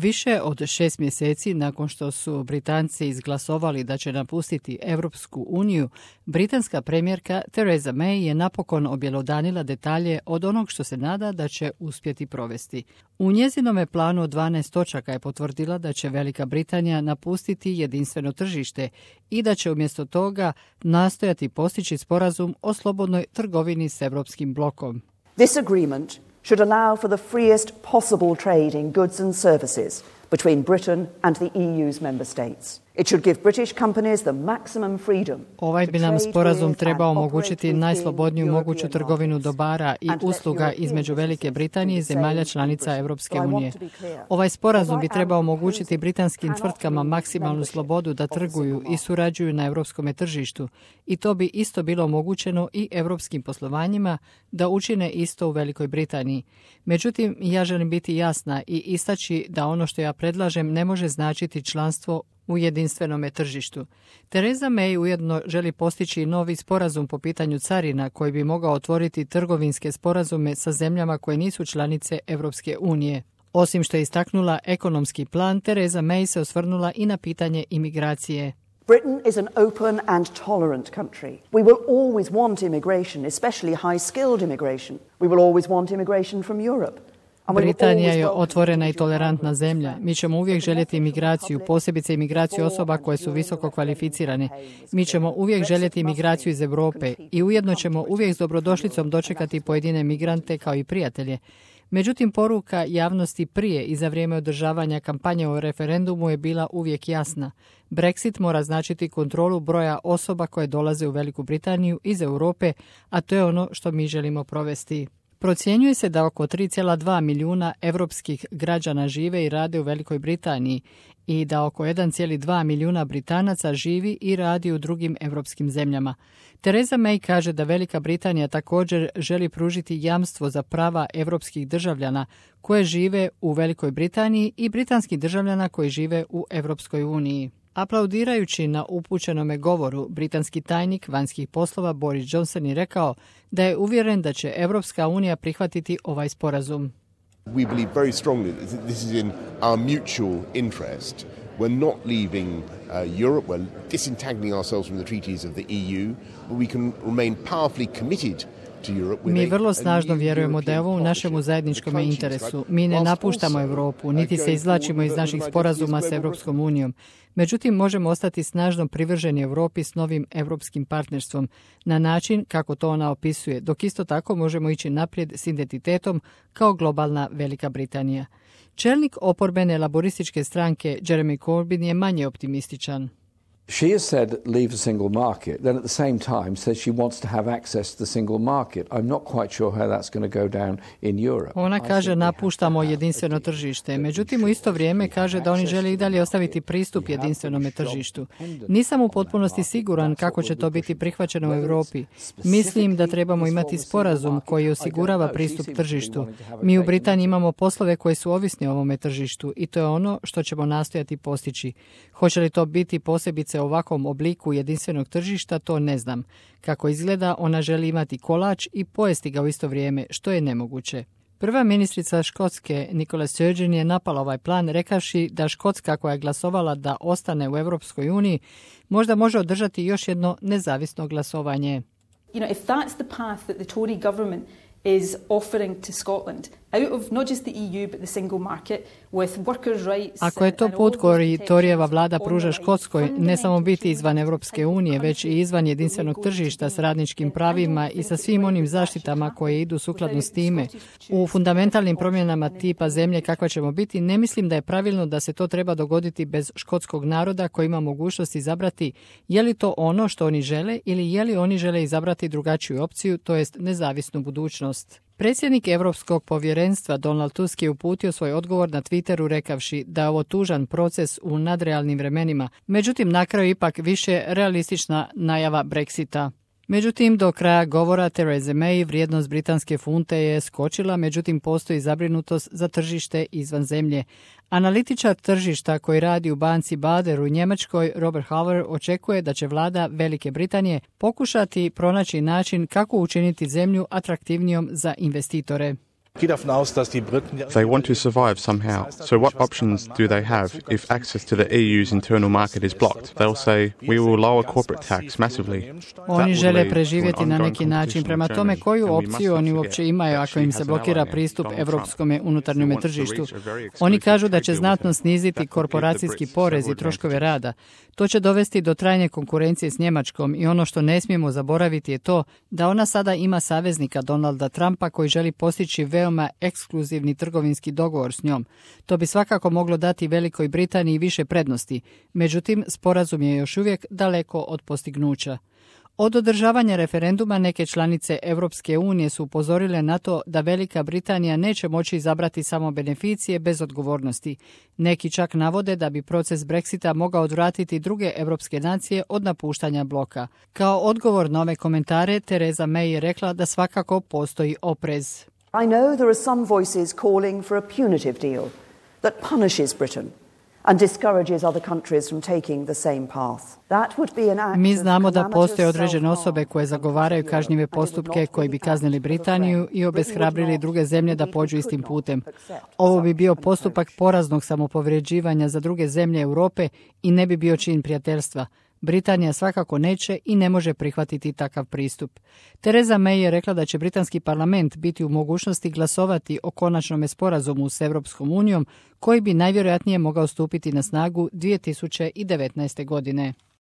Više od 6 mjeseci nakon što su Britanci izglasovali da će napustiti Europsku uniju, britanska premijerka Theresa May je napokon objelodanila detalje od onog što se nada da će uspjeti provesti. U njezinome planu od 12 točaka je potvrdila da će Velika Britanija napustiti jedinstveno tržište i da će umjesto toga nastojati postići sporazum o slobodnoj trgovini s Europskim blokom. This agreement should allow for the freest possible trade in goods and services between Britain and the EU's member states. It should give British companies the maximum freedom. Ovaj bi nam sporazum trebao omogućiti najslobodniju moguću trgovinu dobara i usluga između Velike Britanije i zemalja članica Europske unije. Ovaj sporazum bi trebao omogućiti britanskim tvrtkama maksimalnu slobodu da trguju i surađuju na europskom tržištu i to bi isto bilo omogućeno i europskim poslovanjima da učine isto u Velikoj Britaniji. Međutim, ja želim biti jasna i istaći da ono što ja predlažem ne može značiti članstvo u jedinstvenome tržištu. Theresa May ujedno želi postići novi sporazum po pitanju carina koji bi mogao otvoriti trgovinske sporazume sa zemljama koje nisu članice Europske unije. Osim što je istaknula ekonomski plan, Theresa May se osvrnula i na pitanje imigracije. Britain is an open and tolerant country. We will always want immigration, especially high-skilled immigration. We will always want immigration from Europe. Britanija je otvorena i tolerantna zemlja. Mi ćemo uvijek željeti imigraciju, posebice imigraciju osoba koje su visoko kvalificirane. Mi ćemo uvijek željeti imigraciju iz Europe i ujedno ćemo uvijek s dobrodošlicom dočekati pojedine migrante kao i prijatelje. Međutim, poruka javnosti prije i za vrijeme održavanja kampanje o referendumu je bila uvijek jasna. Brexit mora značiti kontrolu broja osoba koje dolaze u Veliku Britaniju iz Europe, a to je ono što mi želimo provesti. Procjenjuje se da oko 3,2 milijuna europskih građana žive i rade u Velikoj Britaniji i da oko 1,2 milijuna Britanaca živi i radi u drugim europskim zemljama. Theresa May kaže da Velika Britanija također želi pružiti jamstvo za prava europskih državljana koje žive u Velikoj Britaniji i britanskih državljana koji žive u Europskoj uniji. Aplaudirajući na upućenome govoru, britanski tajnik vanjskih poslova Boris Johnson je rekao da je uvjeren da će Europska unija prihvatiti ovaj sporazum. We believe very strongly that this is in our mutual interest. We're not leaving Europe, we're disentangling ourselves from the treaties of the EU, but we can remain powerfully committed. Mi vrlo snažno vjerujemo da je ovo u našemu zajedničkom interesu. Mi ne napuštamo Europu, niti se izvlačimo iz naših sporazuma s Europskom unijom. Međutim, možemo ostati snažno privrženi Europi s novim europskim partnerstvom na način kako to ona opisuje, dok isto tako možemo ići naprijed s identitetom kao globalna Velika Britanija. Čelnik oporbene laborističke stranke Jeremy Corbyn je manje optimističan. She has said leave the single market, then at the same time says she wants to have access to the single market. I'm not quite sure how that's going to go down in Europe. Ona kaže napuštamo jedinstveno tržište, međutim u isto vrijeme kaže da oni žele i dalje ostaviti pristup jedinstvenome tržištu. Nisam u potpunosti siguran kako će to biti prihvaćeno u Europi. Mislim da trebamo imati sporazum koji osigurava pristup tržištu. Mi u Britaniji imamo poslove koji su ovisni o ovome tržištu i to je ono što ćemo nastojati postići. Hoće li to biti posebice u ovakvom obliku jedinstvenog tržišta, to ne znam. Kako izgleda, ona želi imati kolač i pojesti ga u isto vrijeme, što je nemoguće. Prva ministrica Škotske, Nicola Sturgeon, je napala ovaj plan rekavši da Škotska, koja je glasovala da ostane u Europskoj uniji, možda može održati još jedno nezavisno glasovanje. If that's the path that the Tory government is offering to Scotland, out of not just the EU but the single market with workers' rights. Ako je to put koji Torijeva vlada pruža Škotskoj, ne samo biti izvan Europske unije, već i izvan jedinstvenog tržišta s radničkim pravima i sa svim onim zaštitama koje idu sukladno s time, u fundamentalnim promjenama tipa zemlje kakva ćemo biti, ne mislim da je pravilno da se to treba dogoditi bez škotskog naroda koji ima mogućnost izabrati je li to ono što oni žele ili je li oni žele izabrati drugačiju opciju, to jest nezavisnu budućnost. Predsjednik Europskog povjerenstva Donald Tusk je uputio svoj odgovor na Twitteru rekavši da je ovo tužan proces u nadrealnim vremenima, međutim na kraju ipak više realistična najava Brexita. Međutim, do kraja govora Theresa May vrijednost britanske funte je skočila, međutim postoji zabrinutost za tržište izvan zemlje. Analitičar tržišta koji radi u banci Bader u Njemačkoj, Robert Halver, očekuje da će vlada Velike Britanije pokušati pronaći način kako učiniti zemlju atraktivnijom za investitore. They want to survive somehow. So what options do they have if access to the EU's internal market is blocked? They'll say, we will lower corporate tax massively. Oni žele preživjeti na neki način. Prema tome, koju opciju oni uopće imaju ako im se blokira pristup europskom unutarnjem tržištu? Oni kažu da će znatno sniziti korporacijski porez i troškove rada. To će dovesti do trajne konkurencije s Njemačkom i ono što ne smijemo zaboraviti je to da ona sada ima saveznika Donalda Trumpa koji želi postići veoma ekskluzivni trgovinski dogovor s njom. To bi svakako moglo dati Velikoj Britaniji više prednosti. Međutim, sporazum je još uvijek daleko od postignuća. Od održavanja referenduma neke članice Europske unije su upozorile na to da Velika Britanija neće moći izabrati samo beneficije bez odgovornosti. Neki čak navode da bi proces Brexita mogao odvratiti druge europske nacije od napuštanja bloka. Kao odgovor na ove komentare, Theresa May je rekla da svakako postoji oprez. I know there are some voices calling for a punitive deal that punishes Britain and discourages other countries from taking the same path. That would be an act. Mi znamo da postoje određene osobe koje zagovaraju kažnjive postupke koji bi kaznili Britaniju i obeshrabrili druge zemlje da pođu istim putem. Ovo bi bio postupak poraznog samopovređivanja za druge zemlje Europe i ne bi bio čin prijateljstva. Britanija svakako neće i ne može prihvatiti takav pristup. Theresa May je rekla da će britanski parlament biti u mogućnosti glasovati o konačnom sporazumu s Europskom unijom koji bi najvjerojatnije mogao stupiti na snagu 2019. godine.